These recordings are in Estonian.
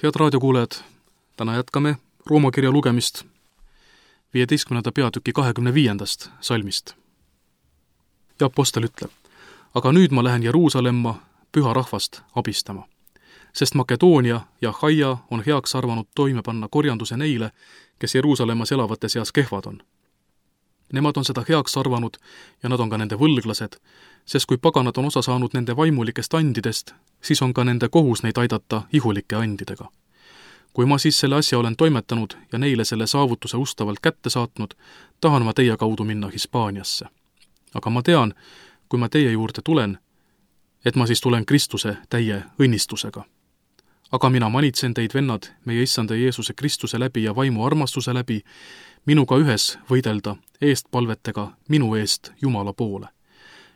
Head raadiokuulajad, täna jätkame Rooma kirja lugemist 15. peatüki 25. salmist. Ja apostel ütleb, aga nüüd ma lähen Jeruusalemma püha rahvast abistama, sest Makedoonia ja Achaia on heaks arvanud toime panna korjanduse neile, kes Jeruusalemmas elavate seas kehvad on. Nemad on seda heaks arvanud ja nad on ka nende võlglased, sest kui paganad on osa saanud nende vaimulikest andidest, siis on ka nende kohus neid aidata ihulike andidega. Kui ma siis selle asja olen toimetanud ja neile selle saavutuse ustavalt kätte saatnud, tahan ma teie kaudu minna Hispaaniasse. Aga ma tean, kui ma teie juurde tulen, et ma siis tulen Kristuse täie õnnistusega. Aga mina manitsen teid, vennad, meie issanda Jeesuse Kristuse läbi ja vaimu armastuse läbi, minuga ühes võidelda eestpalvetega minu eest Jumala poole,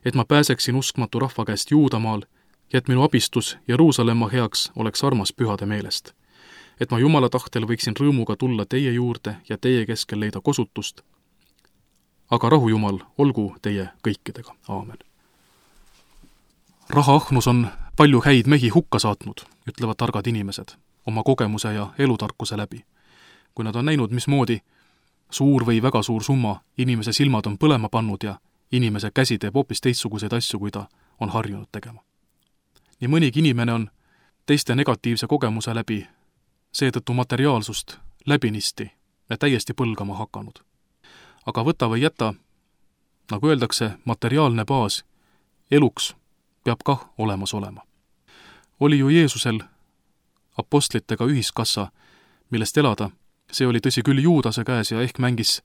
et ma pääseksin uskmatu rahva käest Juudamaal ja et minu abistus Jeruusalemma heaks oleks armas pühade meelest, et ma Jumala tahtel võiksin rõõmuga tulla teie juurde ja teie keskel leida kosutust. Aga rahu Jumal, olgu teie kõikidega. Aamen. Rahaahnus on palju häid mehi hukka saatnud, ütlevad targad inimesed, oma kogemuse ja elutarkuse läbi. Kui nad on näinud, mismoodi suur või väga suur summa inimese silmad on põlema pannud ja inimese käsi teeb hoopis teistsuguseid asju, kui ta on harjunud tegema. Nii mõnigi inimene on teiste negatiivse kogemuse läbi seetõttu materiaalsust läbinisti ja täiesti põlgama hakanud. Aga võta või jäta, nagu öeldakse, materiaalne baas eluks peab kah olemas olema. Oli ju Jeesusel apostlitega ühiskassa, millest elada. See oli tõsi küll Juudase käes ja ehk mängis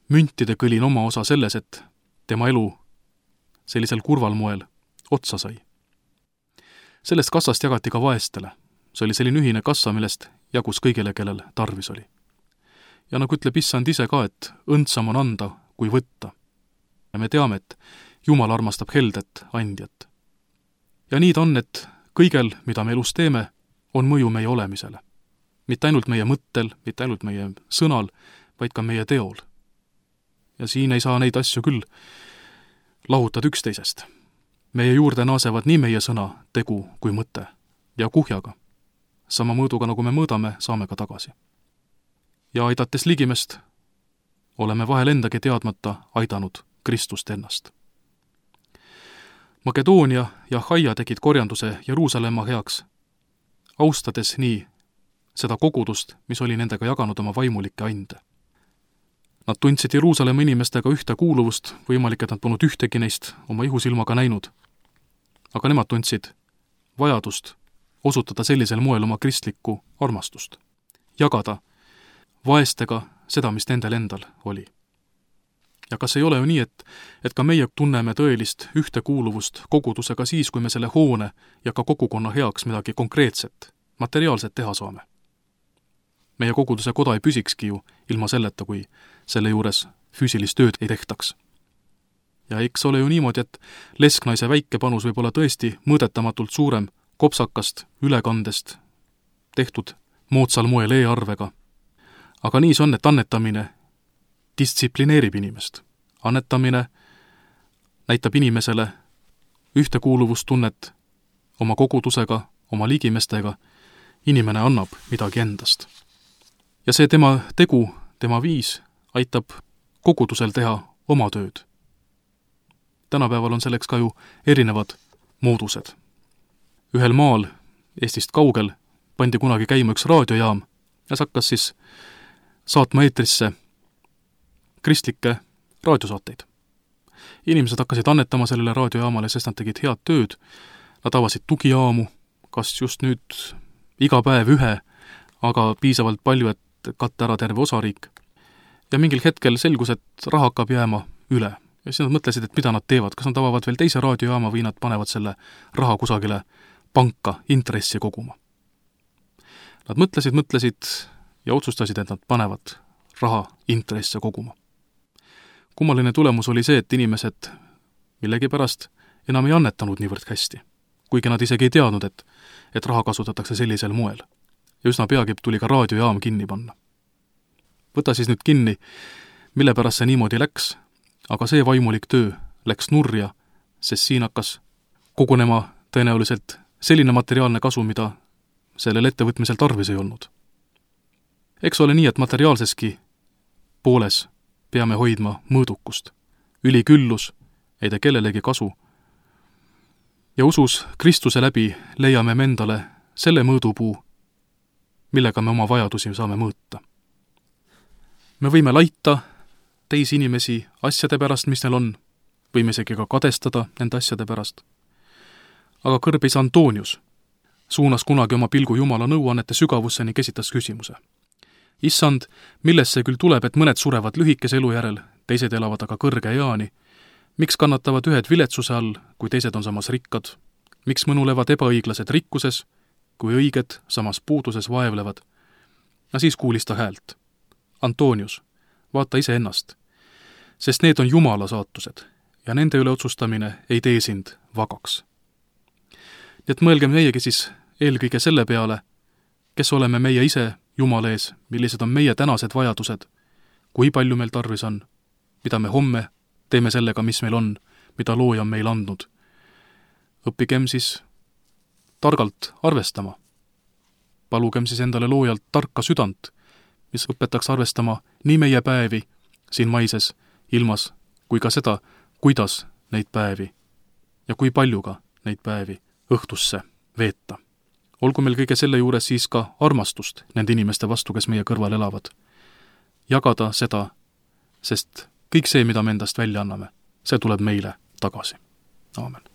müntide kõlin oma osa selles, et tema elu sellisel kurval moel otsa sai. Sellest kassast jagati ka vaestele. See oli selline ühine kassa, millest jagus kõigile, kellel tarvis oli. Ja nagu ütleb issand ise ka, et õndsam on anda kui võtta. Ja me teame, et Jumal armastab heldet andjat. Ja nii ta on, et kõigel, mida me elus teeme, on mõju meie olemisele. Mitte ainult meie mõttel, mitte ainult meie sõnal, vaid ka meie teol. Ja siin ei saa neid asju küll lahutada üksteisest. Meie juurde naasevad nii meie sõna, tegu kui mõte ja kuhjaga. Sama mõõduga, nagu me mõõdame, saame ka tagasi. Ja aidates ligimest, oleme vahel endagi teadmata aidanud Kristust ennast. Makedoonia ja Achaia tegid korjanduse Jeruusalemma heaks, austades nii seda kogudust, mis oli nendega jaganud oma vaimulikke ande. Nad tundsid Jeruusalemma inimestega ühte kuuluvust, võimalik, et nad polnud ühtegi neist oma ihusilmaga näinud. Aga nemad tundsid vajadust osutada sellisel moel oma kristlikku armastust, jagada vaestega seda, mis nendel endal oli. Ja kas ei ole ju nii, et ka meie tunneme tõelist ühtekuuluvust kogudusega siis, kui me selle hoone ja ka kogukonna heaks midagi konkreetset, materiaalset teha saame? Meie koguduse koda ei püsikski ju ilma selleta, kui selle juures füüsilist tööd ei tehtaks. Ja eks ole ju niimoodi, et lesknaise väike panus võib olla tõesti mõõdetamatult suurem kopsakast ülekandest tehtud moodsal moel e-arvega. Aga nii see on, et annetamine distsiplineerib inimest. Annetamine näitab inimesele ühtekuuluvustunnet oma kogudusega, oma ligimestega. Inimene annab midagi endast. Ja see tema tegu, tema viis aitab kogudusel teha oma tööd. Tänapäeval on selleks ka ju erinevad moodused. Ühel maal, Eestist kaugel, pandi kunagi käima üks raadiojaam ja see hakkas siis saatma eetrisse kristlikke raadiosaateid. Inimesed hakkasid annetama sellele raadiojaamale, sest nad tegid head tööd. Nad avasid tugijaamu, kas just nüüd iga päev ühe, aga piisavalt palju, et katta ära terve osariik. Ja mingil hetkel selgus, et raha hakkab jääma üle. Ja siis nad mõtlesid, et mida nad teevad, kas nad avavad veel teise raadiojaama või nad panevad selle raha kusagile panka intressi koguma. Nad mõtlesid ja otsustasid, et nad panevad raha intresse koguma. Kummaline tulemus oli see, et inimesed millegipärast enam ei annetanud niivõrd hästi, kuigi nad isegi ei teadnud, et raha kasutatakse sellisel moel. Ja üsna peagi tuli ka raadiojaam kinni panna. Võta siis nüüd kinni, mille pärast see niimoodi läks, aga see vaimulik töö läks nurja, sest siin hakkas kogunema tõenäoliselt selline materiaalne kasu, mida sellel ettevõtmisel tarvis ei olnud. Eks ole nii, et materiaalseski pooles peame hoidma mõõdukust. Üliküllus ei tee kellelegi kasu. Ja usus Kristuse läbi leiame me endale selle mõõdupuu, millega me oma vajadusi saame mõõta. Me võime laita teisi inimesi asjade pärast, mis neil on, võime isegi ka kadestada nende asjade pärast. Aga kõrbis Antonius suunas kunagi oma pilgu Jumala nõuannete sügavusse ning esitas küsimuse. Issand, millest see küll tuleb, et mõned surevad lühikese elu järel, teised elavad aga kõrge eani? Miks kannatavad ühed viletsuse all, kui teised on samas rikkad? Miks mõnulevad ebaõiglased rikkuses, kui õiged samas puuduses vaevlevad? Siis kuulis ta häält. Antonius, vaata ise ennast, sest need on Jumala saatused ja nende üle otsustamine ei tee sind vagaks. Nii et mõelgem meiegi siis eelkõige selle peale, kes oleme meie ise Jumala ees, millised on meie tänased vajadused, kui palju meil tarvis on, mida me homme teeme sellega, mis meil on, mida looja on meil andnud. Õppigem siis targalt arvestama. Palugem siis endale loojalt tarka südant, mis õpetaks arvestama nii meie päevi siin maises ilmas, kui ka seda, kuidas neid päevi ja kui palju ka neid päevi õhtusse veeta. Olgu meil kõige selle juures siis ka armastust nende inimeste vastu, kes meie kõrval elavad. Jagada seda, sest kõik see, mida me endast välja anname, see tuleb meile tagasi. Aamen.